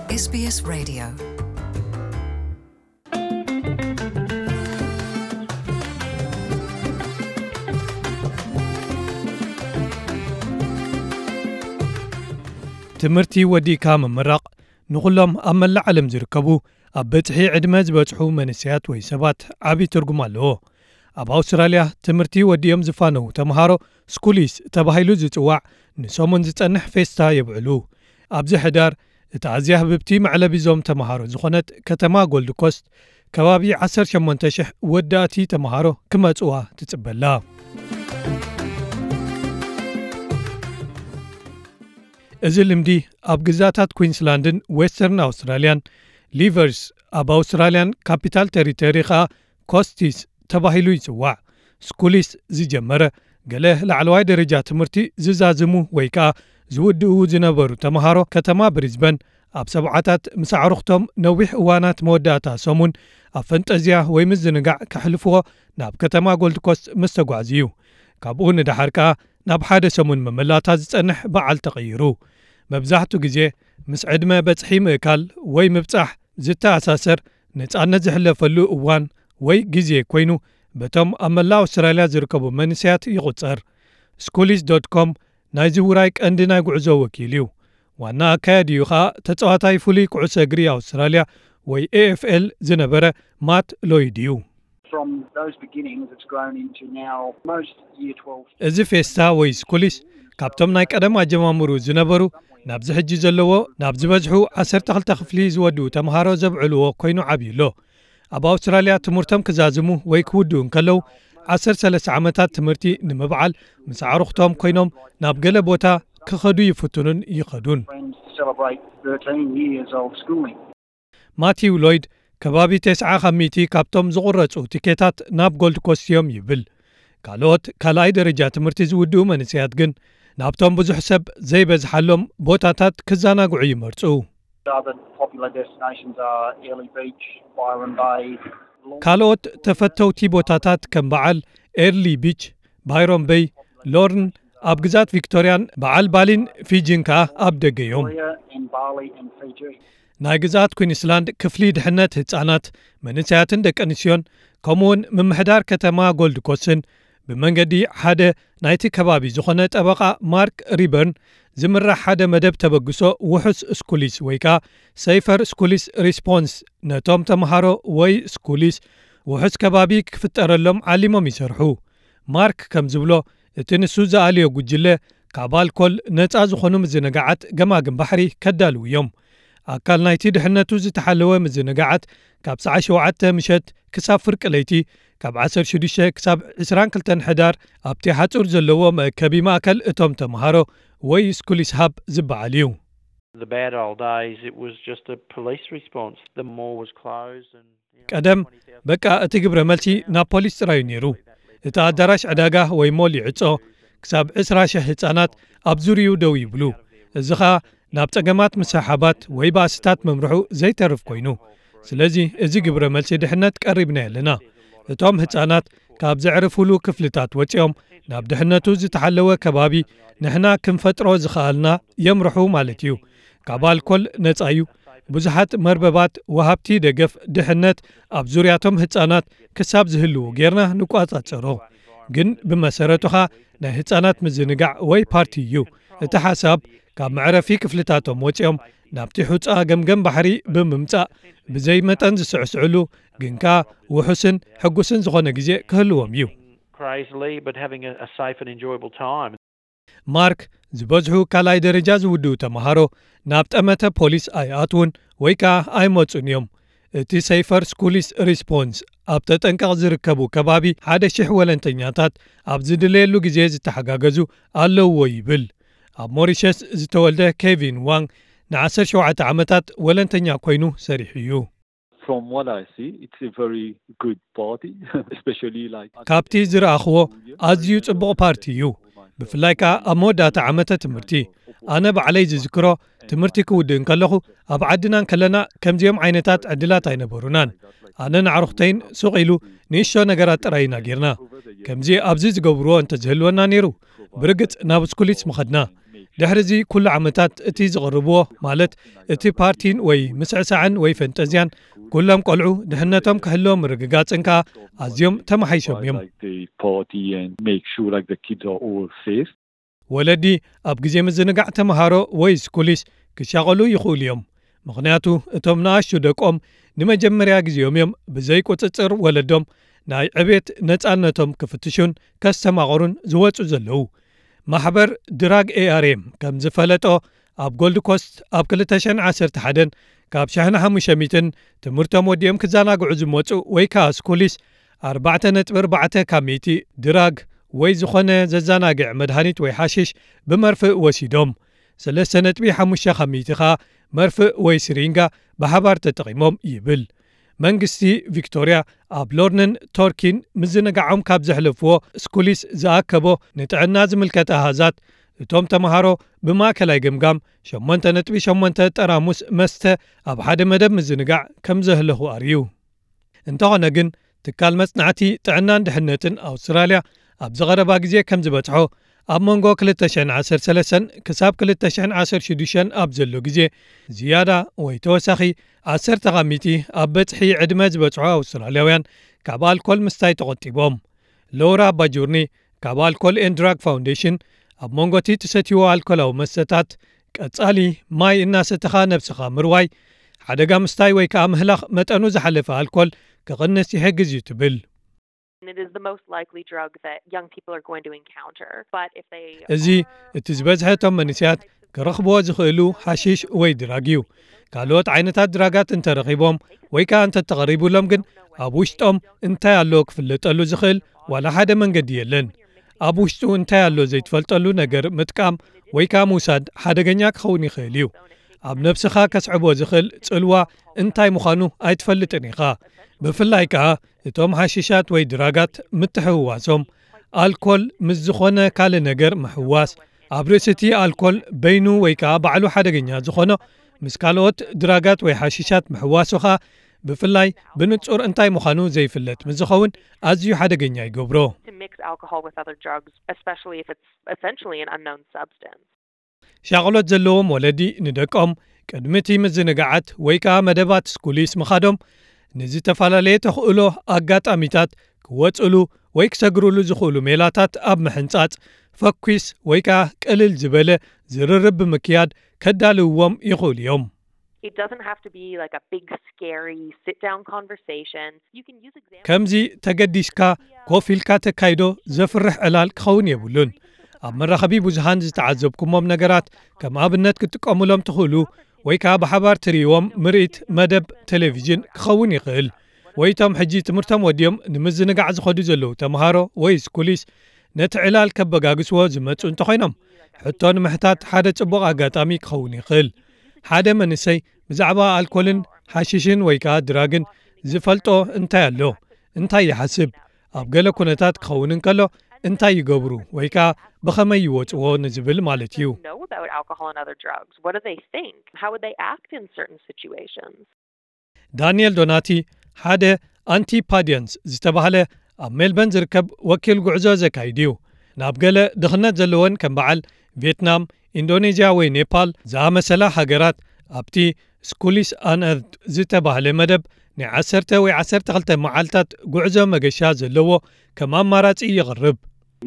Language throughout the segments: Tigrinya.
S B S Radio. ትምህርቲ ወዲእካ ምምራቕ ንኹሎም ኣብ መላእ ዓለም ዝርከቡ ኣብ በጽሒ ዕድመ ዝበጽሑ መንእሰያት ወይ ሰባት ዓቢ ትርጉም ኣለዎ። ኣብ ኣውስትራልያ ትምህርቲ ወዲኦም ዝፋነዉ ተምሃሮ ስኩሊስ ተባሂሉ ዝጽዋዕ ንሰሙን ዝጸንሕ ፌስታ የብዕሉ። ኣብዚ ሕዳር እታ ኣዝያ ህብብቲ መዕለቢ ዞም ተምሃሮ ዝኾነት ከተማ ጎልድ ኮስት ከባቢ ዓሰርተ ሸሞንተ ሽሕ ወዳእቲ ተምሃሮ ክመጽዋ ትጽበላ። እዚ ልምዲ ኣብ ግዛታት ኩዊንስላንድን ዌስተርን ኣውስትራልያን፣ ሊቨርስ ኣብ ኣውስትራልያን ካፒታል ቴሪቶሪ ኸኣ ኮስቲስ ተባሂሉ ይጽዋዕ። ስኩሊስ ዝጀመረ ገለ ላዕለዋይ ደረጃ ትምህርቲ ዝዛዝሙ ወይ ከኣ ዝውድኡ ዝነበሩ ተምሃሮ ከተማ ብሪዝበን ኣብ ሰብዓታት ምስ ኣዕሩኽቶም ነዊሕ እዋናት መወዳእታ ሰሙን ኣብ ፈንጠዝያ ወይ ምዝንጋዕ ከሕልፍዎ ናብ ከተማ ጎልድ ኮስት ምስ ተጓዕዙ እዩ። ካብኡ ንደሓር ከኣ ናብ ሓደ ሰሙን መመላታ ዝጸንሕ በዓል ተቐይሩ። መብዛሕቱ ግዜ ምስ ዕድመ በጽሒ ምእካል ወይ ምብጻሕ ዝተኣሳሰር ነጻነት ዝሕለፈሉ እዋን ወይ ግዜ ኮይኑ በቶም ኣብ መላእ ኣውስትራልያ ዝርከቡ መንእሰያት ይቑጸር። ስኩሊስ ዶት ኮም ናይዚ ውራይ ቀንዲ ናይ ጉዕዞ ወኪል እዩ። ዋና ኣካያዲኡ ኸኣ ተጻዋታይ ፍሉይ ኩዕሶ እግሪ ኣውስትራልያ ወይ ኤ ኤፍ ኤል ዝነበረ ማት ሎይድ እዩ። From those beginnings, it's grown into now most year twelve. እዚ ፌስታ ወይ ስኩሊስ ካብቶም ናይ ቀደም ኣጀማምሩ ዝነበሩ ናብዚ ሕጂ ዘለዎ ናብ ዝበዝሑ ዓሰርተ ክልተ ክፍሊ ዝወድኡ ተምሃሮ ዘብዕልዎ ኮይኑ ዓብዩ ኣሎ። ኣብ ኣውስትራልያ ትምህርቶም ክዛዝሙ ወይ ክውድኡ እንከለዉ ዓሰርተ ሰለስተ ዓመታት ትምህርቲ ንምብዓል ምስ ኣዕሩኽቶም ኮይኖም ናብ ገለ ቦታ ክኸዱ ይፍትኑን ይኸዱን። Friends to celebrate thirteen years of schooling. ማቲው ሎይድ ከባቢ ተስዓ ካብ ሚእቲ ካብቶም ዝቑረጹ ቲኬታት ናብ ጎልድ ኮስት እዮም ይብል። ካልኦት ካልኣይ ደረጃ ትምህርቲ ዝውድኡ መንእሰያት ግን ናብቶም ብዙሕ ሰብ ዘይበዝሓሎም ቦታታት ክዘናግዑ ይመርጹ። Other popular destinations are Airlie Beach, Byron Bay, ካልኦት ተፈተውቲ ቦታታት ከም በዓል ኤርሊ ቢች፣ ባይሮን በይ፣ ሎርን ኣብ ግዛት ቪክቶርያን በዓል ባሊን ፊጂን ከኣ ኣብ ደገ እዮም። Victoria and Bali and Fiji. ናይ ግዛት ኩዊንስላንድ ክፍሊ ድሕነት ህጻናት፣ መንእሰያትን ደቂ ኣንስትዮን ከምኡውን ምምሕዳር ከተማ ጎልድ ኮስትን ብመንገዲ ሓደ ናይቲ ከባቢ ዝኾነ ጠበቓ ማርክ ሪበርን ዝምራሕ ሓደ መደብ ተበግሶ ውሑስ ስኩሊስ ወይ ከኣ ሰይፈር ስኩሊስ ሪስፖንስ ነቶም ተምሃሮ ወይ ስኩሊስ ውሑስ ከባቢ ክፍጠረሎም ዓሊሞም ይሰርሑ። ማርክ ከም ዝብሎ እቲ ንሱ ዝኣልዮ ጉጅለ ካብ ኣልኮል ነጻ ዝኾኑ ምዝንጋዓት ገማግም ባሕሪ ከዳልዉ እዮም። ኣካል ናይቲ ድሕነቱ ዝተሓለወ ምዝንጋዓት ካብ ሰዓት ሸውዓተ ምሸት ክሳብ ፍርቂ ለይቲ ካብ ዓሰርተ ሽዱሽተ ክሳብ ዕስራን ክልተን ሕዳር ኣብቲ ሓጹር ዘለዎ መእከቢ ማእከል እቶም ተምሃሮ ወይ ስኩሊስ ሃብ ዝበዓል እዩ። The bad old days, it was just a police response. The mall was closed and, you know, ቀደም በቃ እቲ ግብረ መልሲ ናብ ፖሊስ ጥራዩ ነይሩ። እቲ ኣዳራሽ ዕዳጋ ወይ ሞል ይዕጾ፣ ክሳብ ዕስራ ሽሕ ህጻናት ኣብ ዙርዩ ደው ይብሉ። እዚ ኸኣ ናብ ጸገማት ምስሕሓባት ወይ ባእስታት ምምርሑ ዘይተርፍ ኮይኑ። ስለዚ እዚ ግብረ መልሲ ድሕነት ቀሪብና ኣለና። እቶም ህጻናት ካብ ዘዕርፉሉ ክፍልታት ወጺኦም ናብ ድሕነቱ ዝተሓለወ ከባቢ ንሕና ክንፈጥሮ ዝኸኣልና የምርሑ ማለት እዩ። ካብ ኣልኮል ነጻ እዩ። ብዙሓት መርበባት ወሃብቲ ደገፍ ድሕነት ኣብ ዙርያቶም ህጻናት ክሳብ ዝህልዉ ጌርና ንቋጻጸሮ። ግን ብመሰረቱ ኸኣ ናይ ህጻናት ምዝንጋዕ ወይ ፓርቲ እዩ። እቲ ሓሳብ ካብ መዕረፊ ክፍልታቶም ወጺኦም ናብቲ ሑጻ ገምገም ባሕሪ ብምምጻእ ብዘይ መጠን ዝስዕስዕሉ ግን ከኣ ውሑስን ሕጉስን ዝኾነ ግዜ ክህልዎም እዩ። Crazily, but having a, a safe and enjoyable time. ማርክ ዝበዝሑ ካልኣይ ደረጃ ዝውድኡ ተምሃሮ ናብ ጠመተ ፖሊስ ኣይኣትዉን ወይ ከኣ ኣይመጹን እዮም። እቲ ሰይፈር ስኩሊስ ሪስፖንስ ኣብ ተጠንቀቕ ዝርከቡ ከባቢ ሓደ ሽሕ ወለንተኛታት ኣብ ዝድለየሉ ግዜ ዝተሓጋገዙ ኣለውዎ ይብል። ኣብ ሞሪሸስ ዝተወልደ ኬቪን ዋንግ ንዓሰርተ ሸውዓተ ዓመታት ወለንተኛ ኮይኑ ሰሪሑ እዩ። From what I see, it's a very good party, especially like ካብቲ ዝረኣኽዎ ኣዝዩ ጽቡቕ ፓርቲ እዩ። ብፍላይ ከኣ ኣብ መወዳእታ ዓመተ ትምህርቲ። ኣነ ባዕለይ ዝዝክሮ ትምህርቲ ክውድእ እንከለኹ ኣብ ዓድና እንከለና ከምዚኦም ዓይነታት ዕድላት ኣይነበሩናን። ኣነ ንኣዕሩኽተይን ሱቕ ኢሉ ንእሽቶ ነገራት ጥራይ ኢና ጌርና። ከምዚ ኣብዚ ዝገብርዎ እንተዝህልወና ነይሩ ብርግጽ ናብ ስኩሊስ ምኸድና። ድሕሪ እዚ ኩሉ ዓመታት እቲ ዝቕርብዎ፣ ማለት እቲ ፓርቲን ወይ ምስዕሳዕን ወይ ፈንጠዝያን፣ ኩሎም ቆልዑ ድሕነቶም ክሕሎ ምርግጋጽን ከኣ ኣዝዮም ተመሓይሾም እዮም። Like the party and make sure like the kids are all safe. ወለዲ ኣብ ግዜ ምዝንጋዕ ተምሃሮ ወይ ስኩሊስ ክሻቐሉ ይኽእሉ እዮም። ምኽንያቱ እቶም ንኣሽቱ ደቆም ንመጀመርያ ግዜኦም እዮም ብዘይ ቁጽጽር ወለዶም ናይ ዕቤት ነጻነቶም ክፍትሹን ከስተማቕሩን ዝወጹ ዘለዉ። ማሕበር ድራግ ኤኣርኤም ከም ዝፈለጦ፣ ኣብ ጎልድ ኮስት ኣብ ክልተ ሽሕን ዓሰርተ ሓደን ካብ ሽሕን ሓሙሽተ ሚእትን ትምህርቶም ወዲኦም ክዘናግዑ ዝመጹ ወይ ከኣ ስኩሊስ ኣርባዕተ ነጥቢ ኣርባዕተ ካብ ሚእቲ ድራግ ወይ ዝኾነ ዘዘናግዕ መድሃኒት ወይ ሓሽሽ ብመርፍእ ወሲዶም፣ ሰለስተ ነጥቢ ሓሙሽተ ካብ ሚእቲ ከኣ መርፍእ ወይ ስሪንጋ ብሓባር ተጠቒሞም ይብል። መንግስቲ ቪክቶርያ ኣብ ሎርንን ቶርኪን ምዝንጋዖም ካብ ዘሕለፍዎ ስኩሊስ ዝኣከቦ ንጥዕና ዝምልከት ኣሃዛት፣ እቶም ተምሃሮ ብማእከላይ ገምጋም ሸሞንተ ነጥቢ ሸሞንተ ጠራሙስ መስተ ኣብ ሓደ መደብ ምዝንጋዕ ከም ዘህለኹ ኣርእዩ። እንተኾነ ግን፣ ትካል መጽናዕቲ ጥዕናን ድሕነትን ኣውስትራልያ ኣብዚ ቀረባ ግዜ ከም ዝበጽሖ፣ ኣብ መንጎ ክልተ ሽሕን ዓሰርተ ሰለስተን ክሳብ ክልተ ሽሕን ዓሰርተ ሽዱሽተን ኣብ ዘሎ ግዜ ዝያዳ ወይ ተወሳኺ ዓሰርተ ካብ ሚእቲ ኣብ በጽሒ ዕድመ ዝበጽሑ ኣውስትራልያውያን ካብ ኣልኮል ምስታይ ተቖጢቦም። ሎራ ባጁርኒ ካብ ኣልኮል ኤንድ ድራግ ፋውንዴሽን፣ ኣብ መንጎ እቲ ትሰትይዎ ኣልኮላዊ መስተታት፣ ቀጻሊ ማይ እናሰተኻ ነብስኻ ምርዋይ፣ ሓደጋ ምስታይ ወይ ከኣ ምህላኽ መጠኑ ዝሓለፈ ኣልኮል ክቕንስ ይሕግዝ እዩ ትብል። It is the most likely drug that young people are going to encounter. But if they እዚ እቲ ዝበዝሐ እቶም መንእሰያት ክረኽብዎ ዝኽእሉ ሓሺሽ ወይ ድራግ እዩ። ካልኦት ዓይነታት ድራጋት እንተረኺቦም ወይ ከኣ እንተተቐሪቡሎም ግን፣ ኣብ ውሽጦም እንታይ ኣሎ ክፍለጠሉ ዝኽእል ዋላ ሓደ መንገዲ የለን። ኣብ ውሽጡ እንታይ ኣሎ ዘይትፈልጠሉ ነገር ምጥቃም ወይ ከኣ ምውሳድ ሓደገኛ ክኸውን ይኽእል እዩ። ኣብ ነብስኻ ከስዕቦ ዝኽእል ጽልዋ እንታይ ምዃኑ ኣይትፈልጥን ኢኻ። ብፍላይ ከኣ እቶም ሓሺሻት ወይ ድራጋት ምትሕውዋሶም፣ ኣልኮል ምስ ዝኾነ ካልእ ነገር ምሕዋስ፣ ኣብ ርእሲ እቲ ኣልኮል በይኑ ወይ ከኣ ባዕሉ ሓደገኛ ዝኾኖ ምስ ካልኦት ድራጋት ወይ ሓሺሻት ምሕዋሱ ከኣ ብፍላይ ብንጹር እንታይ ምዃኑ ዘይፍለጥ ምስ ዝኸውን ኣዝዩ ሓደገኛ ይገብሮ። to mix alcohol with other drugs, especially if it's essentially an unknown substance. ሻቕሎት ዘለዎም ወለዲ ንደቆም ቅድሚ እቲ ምዝንጋዓት ወይ ከኣ መደባት ስኩሊስ ምኻዶም ንዝተፈላለየ ተኽእሎ ኣጋጣሚታት ክወጽሉ ወይ ክሰግርሉ ዝኽእሉ ሜላታት ኣብ ምሕንጻጽ ፈኲስ ወይ ከኣ ቅልል ዝበለ ዝርርብ ብምክያድ ከዳልውዎም ይኽእሉ እዮም። It doesn't have to be like a big, scary sit down conversation. You can use examples. ከምዚ ተገዲስካ ኮፍ ኢልካ ተካይዶ ዘፍርሕ ዕላል ክኸውን የብሉን። ኣብ መራኸቢ ብዙሃን ዝተዓዘብኩሞም ነገራት ከም ኣብነት ክትጥቀሙሎም ትኽእሉ ወይ ከኣ ብሓባር ትርእይዎም ምርኢት መደብ ቴሌቪዥን ክኸውን ይኽእል። ወይ እቶም ሕጂ ትምህርቶም ወዲኦም ንምዝንጋዕ ዝኸዱ ዘለዉ ተምሃሮ ወይ ስኩሊስ ነቲ ዕላል ከበጋግስዎ ዝመጹ እንተኾይኖም፣ ሕቶ ንምሕታት ሓደ ጽቡቕ ኣጋጣሚ ክኸውን ይኽእል። ሓደ መንእሰይ ብዛዕባ ኣልኮልን ሓሽሽን ወይ ከኣ ድራግን ዝፈልጦ እንታይ ኣሎ? እንታይ ይሓስብ? ኣብ ገለ ኩነታት ክኸውን እንከሎ እንታይ ይገብሩ ወይ ከኣ ብኸመይ ይወጽዎ ንዝብል ማለት እዩ። Know about alcohol and other drugs? What do they think? How would they act in certain situations? ዳንኤል ዶናቲ ሓደ ኣንቲፓዲየንስ ዝተባህለ ኣብ ሜልበን ዝርከብ ወኪል ጉዕዞ ዘካይድ እዩ። ናብ ገለ ድኽነት ዘለወን ከም በዓል ቪየትናም፣ ኢንዶኔዥያ ወይ ኔፓል ዝኣመሰላ ሃገራት ኣብቲ ስኩሊስ ኣንኤርድ ዝተባህለ መደብ ናይ ዓሰርተ ወይ ዓሰርተ ክልተ መዓልታት ጉዕዞ መገሻ ዘለዎ ከም ኣማራጺ ይቕርብ።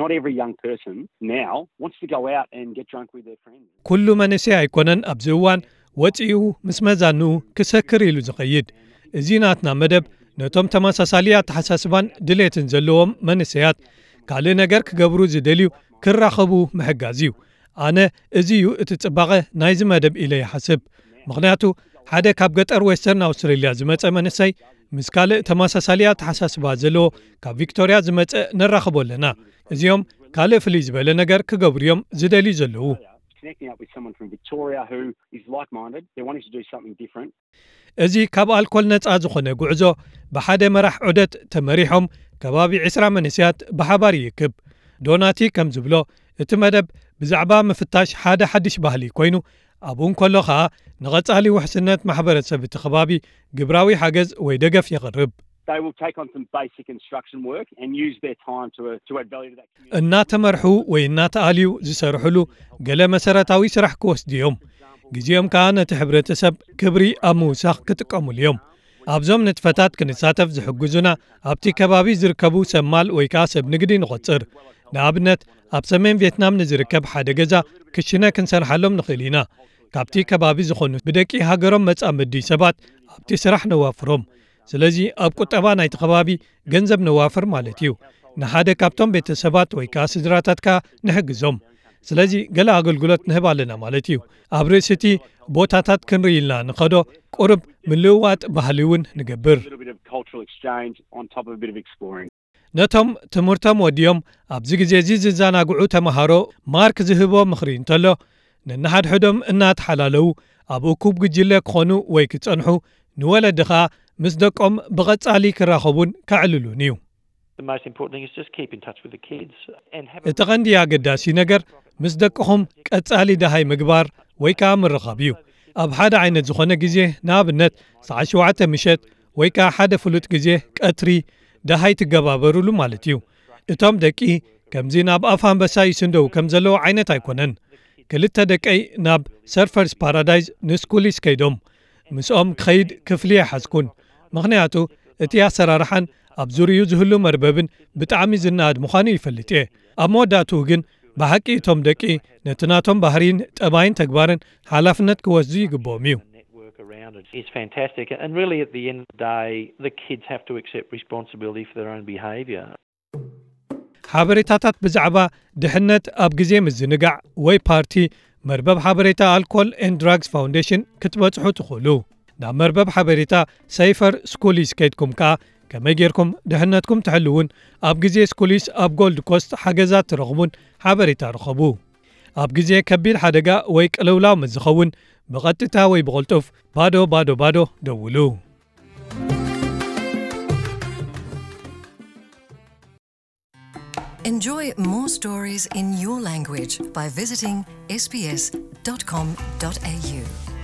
Not every young person now wants to go out and get drunk with their friends. ኩሉ መንእሰይ ኣይኮነን ኣብዚ እዋን ወጺኡ ምስ መዛንኡ ክሰክር ኢሉ ዝኸይድ። እዚ ናትና መደብ ነቶም ተመሳሳሊ ኣተሓሳስባን ድሌትን ዘለዎም መንእሰያት ካልእ ነገር ክገብሩ ዝደልዩ ክራኸቡ ምሕጋዝ እዩ። ኣነ እዚ እዩ እቲ ጽባቐ ናይዚ መደብ ኢለ ይሓስብ። ምኽንያቱ ሓደ ካብ ገጠር ዌስተርን ኣውስትሬልያ ዝመጸ መንእሰይ ምስ ካልእ ተመሳሳሊ ኣተሓሳስባ ዘለዎ ካብ ቪክቶርያ ዝመጸ ነራኽቦ ኣለና። እዚኦም ካልእ ፍልይ ዝበለ ነገር ክገብሩ እዮም ዝደልዩ ዘለዉ። Connecting up with someone from Victoria who is like-minded, they're wanting to do something different. እዚ ካብ ኣልኮል ነጻ ዝኾነ ጉዕዞ ብሓደ መራሕ ዑደት ተመሪሖም ከባቢ ዕስራ መንእሰያት ብሓባር ይእክብ። ዶናቲ ከም ዝብሎ እቲ መደብ ብዛዕባ ምፍታሽ ሓደ ሓድሽ ባህሊ ኮይኑ ኣብኡ እንከሎ ኸኣ ንቐጻሊ ውሕስነት ማሕበረሰብ እቲ ከባቢ ግብራዊ ሓገዝ ወይ ደገፍ የቕርብ። they will take on some basic instruction work and use their time to, uh, to add value to that community. እናተመርሑ ወይ እናተኣልዩ ዝሰርሕሉ ገለ መሰረታዊ ስራሕ ክወስዱ እዮም። ግዜኦም ከኣ ነቲ ሕብረተሰብ ክብሪ ኣብ ምውሳኽ ክጥቀሙሉ እዮም። ኣብዞም ንጥፈታት ክንሳተፍ ዝሕግዙና ኣብቲ ከባቢ ዝርከቡ ሰብ ማል ወይ ከኣ ሰብ ንግዲ ንቖጽር። ንኣብነት ኣብ ሰሜን ቪየትናም ንዝርከብ ሓደ ገዛ ክሽነ ክንሰርሓሎም ንኽእል ኢና። ካብቲ ከባቢ ዝኾኑ ብደቂ ሃገሮም መጻምዲ ሰባት ኣብቲ ስራሕ ነዋፍሮም። ስለዚ ኣብ ቁጠባ ናይቲ ከባቢ ገንዘብ ነዋፍር ማለት እዩ። ንሓደ ካብቶም ቤተሰባት ወይ ከኣ ስድራታትካ ንሕግዞም። ስለዚ ገለ ኣገልግሎት ንህብ ኣለና ማለት እዩ። ኣብ ርእሲ እቲ ቦታታት ክንርኢ ኢልና ንኸዶ ቁሩብ ምልውዋጥ ባህሊ እውን ንገብር። A little bit of cultural exchange on top of a bit of exploring. ነቶም ትምህርቶም ወዲኦም ኣብዚ ግዜ እዚ ዝዘናግዑ ተምሃሮ ማርክ ዝህቦ ምኽሪ እንተሎ፣ ነንሓድሕዶም እናተሓላለዉ ኣብ እኩብ ጉጅለ ክኾኑ ወይ ክጸንሑ፣ ንወለዲ ኸኣ ምስ ደቆም ብቐጻሊ ክራኸቡን ከዕልሉን እዩ። The most important thing is just keep in touch with the kids and have እቲ ቐንዲ ኣገዳሲ ነገር ምስ ደቅኹም ቀጻሊ ደሃይ ምግባር ወይ ከኣ ምርኻብ እዩ። ኣብ ሓደ ዓይነት ዝኾነ ግዜ፣ ንኣብነት ሰዓት ሸውዓተ ምሸት ወይ ከኣ ሓደ ፍሉጥ ግዜ ቀትሪ ደሃይ ትገባበሩሉ ማለት እዩ። እቶም ደቂ ከምዚ ናብ ኣፍ ኣንበሳ ይስንደው ከም ዘለዉ ዓይነት ኣይኮነን። ክልተ ደቀይ ናብ ሰርፈርስ ፓራዳይዝ ንስኩሊስ ከይዶም ምስኦም ክኸይድ ክፍሊ ኣይሓዝኩን። ምኽንያቱ እቲ ኣሰራርሓን ኣብ ዙርዩ ዝህሉ መርበብን ብጣዕሚ ዝነኣድ ምዃኑ ይፈልጥ እየ። ኣብ መወዳእትኡ ግን ብሓቂ እቶም ደቂ ነቲ ናቶም ባህሪን ጠባይን ተግባርን ሓላፍነት ክወስዱ ይግብኦም እዩ። network around it is fantastic. And really, at the end of the day, the kids have to accept responsibility for their own behaviour. ሓበሬታታት ብዛዕባ ድሕነት ኣብ ግዜ ምዝንጋዕ ወይ ፓርቲ መርበብ ሓበሬታ ኣልኮል ኤንድ ድራግስ ፋውንዴሽን ክትበጽሑ ትኽእሉ። ናብ መርበብ ሓበሬታ ሰይፈር ስኩሊስ ከይድኩም ከኣ ከመይ ጌርኩም ድሕነትኩም ትሕልውን ኣብ ግዜ ስኩሊስ ኣብ ጎልድ ኮስት ሓገዛት ትረኽቡን ሓበሬታ ርኸቡ። ኣብ ግዜ ከቢድ ሓደጋ ወይ ቅልውላው ምስ ዝኸውን ብቐጥታ ወይ ብቕልጡፍ ባዶ ባዶ ባዶ ደውሉ። Enjoy more stories in your language by visiting S B S dot com dot A U.